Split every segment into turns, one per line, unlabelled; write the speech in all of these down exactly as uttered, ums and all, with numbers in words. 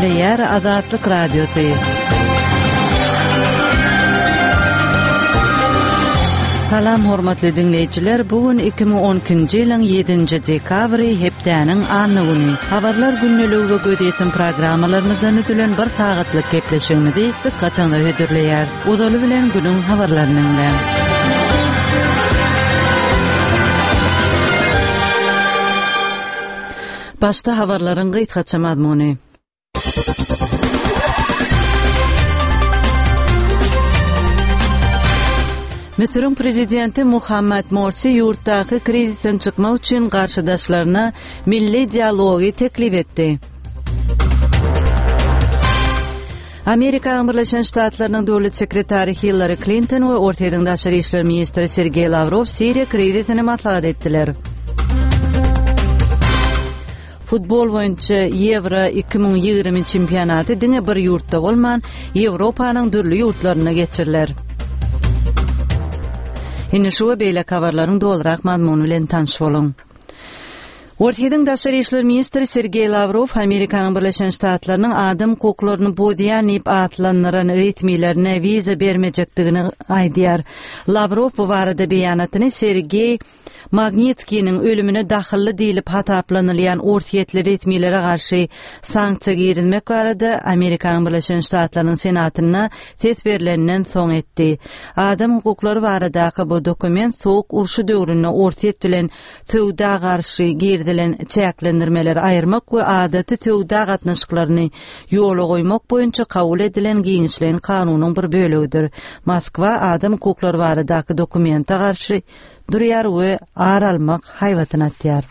Gepleýär Azatlyk Radiosy. Salam hormatly diňleýjiler, bu gün iki müň on ikinji ýylyň ýedinji dekabry, hepdäniň anna güni. Habarlar gündeligi we gözýetim programmalarymyzdan düzülen bir sagatlyk gepleşigimizi dykgatyňyza hödürleýär. Ozaly bilen günüň habarlaryny diňläň. Başda habarlaryň gysgaça mazmuny. Müsüriň prezidenti Muhammad Morsi ýurtdaky krizisden çykmak üçin garşydaşlaryna milli dialogy teklip etdi. Amerikanyň Birleşen Ştatlarynyň döwlet sekretary Hillary Klinton we Orsýetiň daşary işler ministri Sergeý Lawrow Siriýa krizisini maslahat etdiler. Futbol boýunça Ýewro iki müň ýigrimi çempionaty diňe bir ýurtda bolman, Ýewropanyň dürli ýurtlarynda geçiriler. Indi şu we beýleki habarlaryň dolurak mazmuny bilen tanyş boluň. Orsýetiň daşary işler ministri Sergeý Lawrow Amerikanyň Birleşen Ştatlarynyň adam hukuklaryny bozýan diýip atlandyran resmilerine wiza bermejekdigini aýdýar. Lawrow bu barada beýanatyny Sergeý Magnitskiniň ölümine dahylly diýlip hasaplanylýan orsýetli resmilere garşy sanksiýa girizmek barada Amerikanyň Birleşen Ştatlarynyň Senatynda ses berlenden soň etdi. Adam hukuklary baradaky bu dokument sowuk urşy döwründe Orsýet bilen söwda garşy girizilen çäklendirmeleri aýyrmak we adaty söwda gatnaşyklaryny ýola goýmak boýunça kabul edilen giňişleýin kanunyň bir bölegidir. Moskwa adam hukuklary baradaky dokumente garşy durýar we ar almak haýbatyny atýar.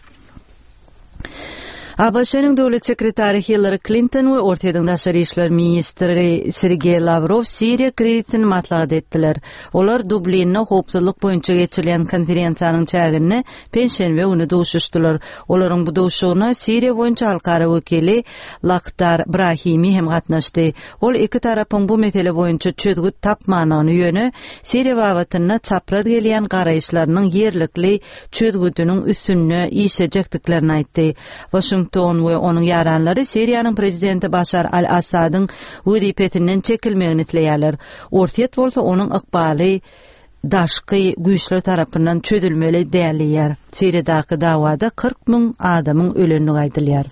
A B Ş-niň döwlet sekretary Hillary Klinton we Orsýetiň daşary işler ministri Sergeý Lawrow Siriýa krizisini maslahat etdiler. Olar Dublinde howpsuzlyk boýunça geçirilen konferensiýanyň çäginde penşenbe güni duşuşdylar. Olaryň bu duşuşygyna Siriýa boýunça halkara wekili Lakhdar Brahimi hem gatnaşdy. Ol iki tarapyň bu mesele boýunça çözgüt tapmanyny ýöne Siriýa babatynda çapraz gelýän garaýyşlarynyň ýerlikli çözgüdiniň üstünde işlejekdiklerini aýtdy. Washington we onuň ýaranlary Siriýanyň prezidenti Başar al-Assadyň wezipesinden çekilmegini isleýärler. Orsýet bolsa onuň ykbaly daşky güýçler tarapyndan çözülmeli däl diýýär. Siriýadaky dawada kyrk müň adamyň ölenligi aýdylýar.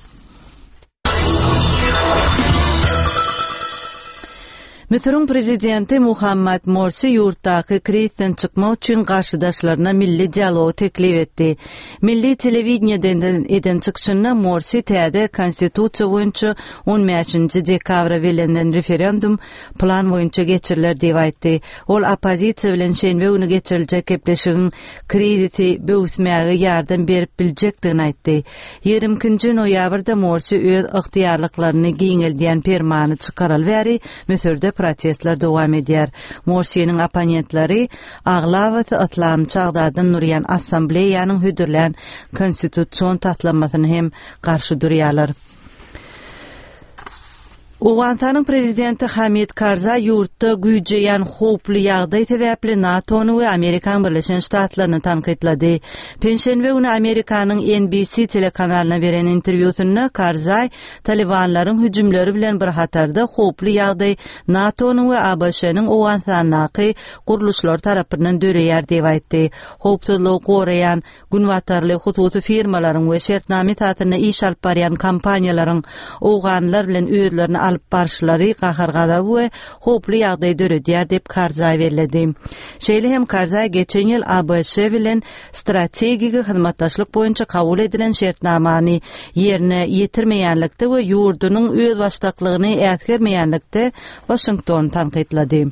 Müsüriň prezidenti Muhammad Morsi ýurtdaky krizden çykmak üçin garşydaşlaryna milli dialogy teklip etdi. Milli telewideniýeden eden çykyşynda Morsi täze konstitusiýa boýunça on bäşinji dekabra bellenen referendum plan boýunça geçiriler diýip aýtdy. Ol oppozisiýa bilen şenbe güni geçiriljek gepleşigiň krizisi böwüsmäge ýardam berip biljekdigini aýtdy. Ýigrimi ikinji noýabrda Morsi öz ygtyýarlyklaryny giňeldýän permany çykaraly bäri Müsürde protestler dowam edýär. Morsiniň opponentleri aglabasy yslamçy agzadan durýan assambleýanyň hödürlän konstitusion taslamasyny hem garşy durýarlar. Owganystanyň prezidenti Hamid Karzai ýurtda güýjeýän howply ýagdaý sebäpli NATO-ny we Amerikan Birleşen Ştatlaryny tankytlady. Penşenbe güni Amerikanyň N B C telekanalyna beren interwýusynda Karzai Talibanlaryň hüjümleri bilen bir hatarda howply ýagdaý NATO-nyň we A B Ş-niň Owganystandaky gurluşlary tarapyndan döreýär diýip aýtdy. Howpsuzlygy goraýan günbatarly hususy firmalaryň we şertname esasynda iş alyp barýan kompaniýalaryň owganlar bilen özlerini alyp barşlary gahar-gazaby we howply ýagdaý döredýär diýip Karzai belledi. Şeýle hem Karzai geçen ýyl A B Ş bilen strategik hyzmatdaşlyk boýunça kabul edilen şertnamany ýerine ýetirmeýänlikde we ýurdunyň öz başdaklygyny äsgermeýänlikde Washington tankytlady.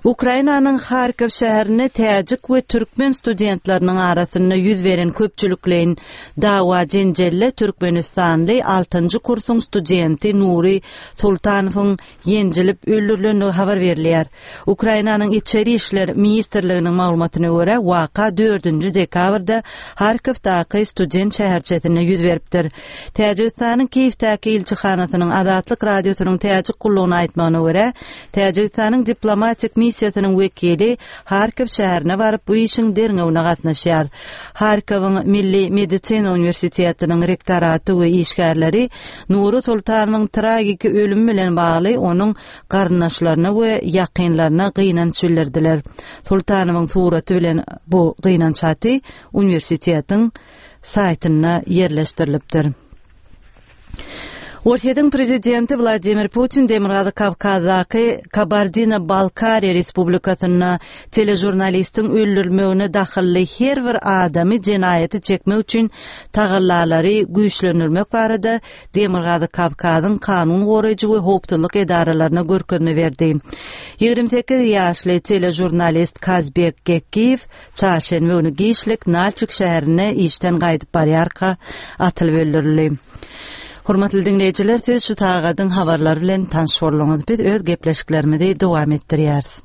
Ukrainanyň Harkov şäherinde täjik we türkmen studentleriniň arasynda ýüz beren köpçülikleýin dawa jenjelle Türkmenistanly altynjy kursuň studenti Nuri Sultanowyň ýenjilip öldürilendigi habar berilýär. Ukrainanyň İçeri İşler Ministrliginiň maglumatyna görä, waka dördünji dekabrda Harkovdaky student şäherçesinde ýüz beripdir. Täjigistanyň Kiýewdäki ilçihanasynyň Azatlyk radiosynyň täjik gullugyna aýtmagyna görä, Täjigistanyň diplomatik missiýasynyň komissiýasynyň wekili Harkow şäherine baryp bu işiň derňewine gatnaşýar. Harkowyň Milli medisina uniwersitetiniň rektoraty we işgärleri Nury Sultanowyň tragiki ölümi bilen bagly onuň garyndaşlaryna we ýakynlaryna gynanç bildirdiler. Sultanowyň suraty bilen bu gynanç haty uniwersitetiň saýtynda ýerleşdirilipdir. Orsýetiň prezidenti Wladimir Putin Demirgazyk Kawkazdaky Kabardino-Balkariýa Respublikasynda teležurnalistiň öldürilmegine dahylly her bir adamy jenaýata çekmek üçin tagallalary güýçlendirmek barada Demirgazyk Kawkazyň kanun goraýjy we howpsuzlyk edaralaryna görkezme berdi. Ýigrimi sekiz ýaşly teležurnalist Kazbek Gekkiýew çarşenbe güni giçlik Nalçik şäherinde işden gaýdyp barýarka atylyp öldürildi. Hormatly diňleýjiler, siz şu sagadyň habarlary bilen tanyş bolduňyz. Biz öz gepleşiklerimizi dowam etdirýäris.